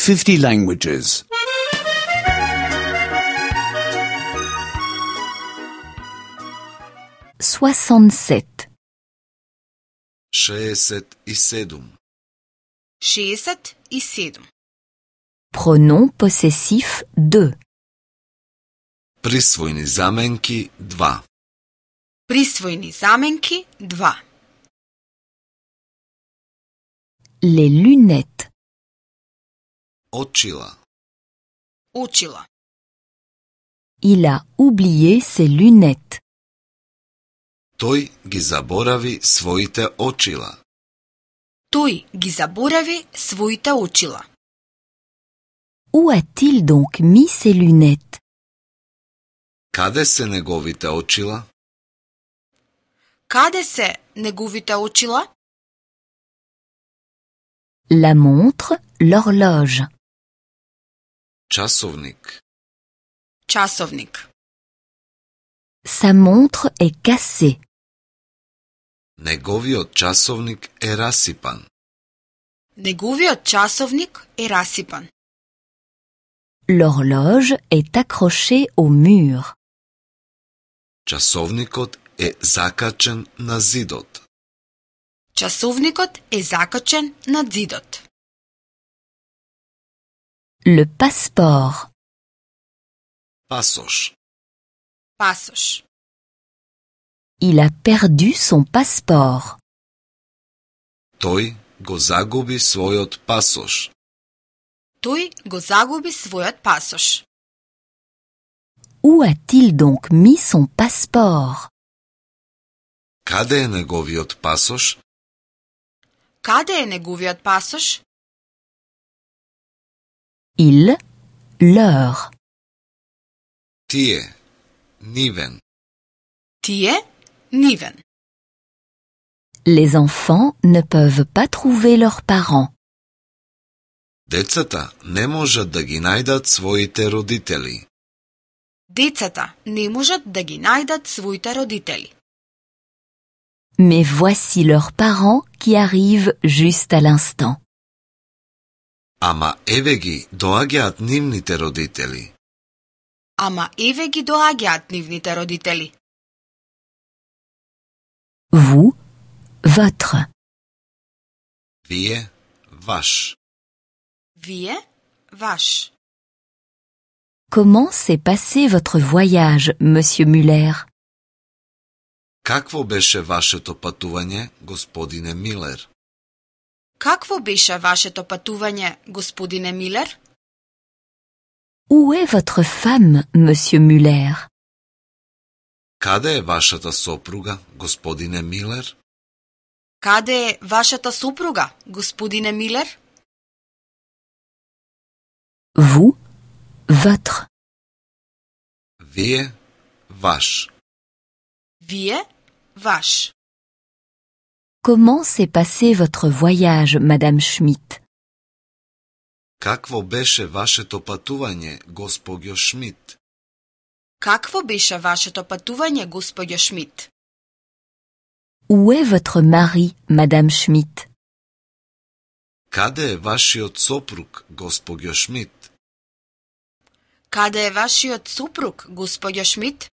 50 languages. 67. 67. 67. Pronom possessif 2. Prisvojni zamenki 2. Prisvojni zamenki 2. Les lunettes. Očila. Očila. Il a oublié ses lunettes. Той ги заборави своите очила. Той ги заборави своите очила. Où a-t-il donc mis ses lunettes? Каде се неговите очила? Каде се неговите очила? La montre, l'horloge. Часовник. Часовник. Sa montre est cassée. Неговиот часовник е расипан. Неговиот часовник е расипан. L'horloge est accrochée au mur. Часовникот е закачен на зидот. Часовникот е закачен на зидот. Le passeport. Пасош. Пасош. Il a perdu son passeport. Тој го загуби својот пасош. Тој го загуби својот пасош. Où a-t-il donc mis son passeport? Каде е неговиот пасош? Каде е неговиот пасош? Il, leur. Тие. Нивен. Тие, нивен. Les enfants ne peuvent pas trouver leurs parents. Децата не можат да ги најдат своите родители. Децата не можат да ги најдат своите родители. Mais voici leurs parents qui arrivent juste à l'instant. Ама еве ги доаѓаат нивните родители. Ама еве ги доаѓаат нивните родители. Vous, votre. Вие, ваш. Вие, ваш. Comment s'est passé votre voyage, monsieur Muller? Какво беше вашето пътување, господине Милер? Какво беше вашето пътување, господине Милер? Où est votre femme, monsieur Muller? Каде е вашата сопруга, господине Милер? Каде е вашата супруга, господине Милер? Vous, votre. Вие, ваш. Вие, ваш. Comment s'est passé votre voyage, madame Schmidt? Какво беше вашето пътување, госпоѓо Шмидт? Какво беше вашето пътување, господјо Шмидт? Où est votre mari, madame Schmidt? Каде е вашиот сопруг, госпоѓо Шмидт? Каде е вашиот супруг, господјо Шмидт?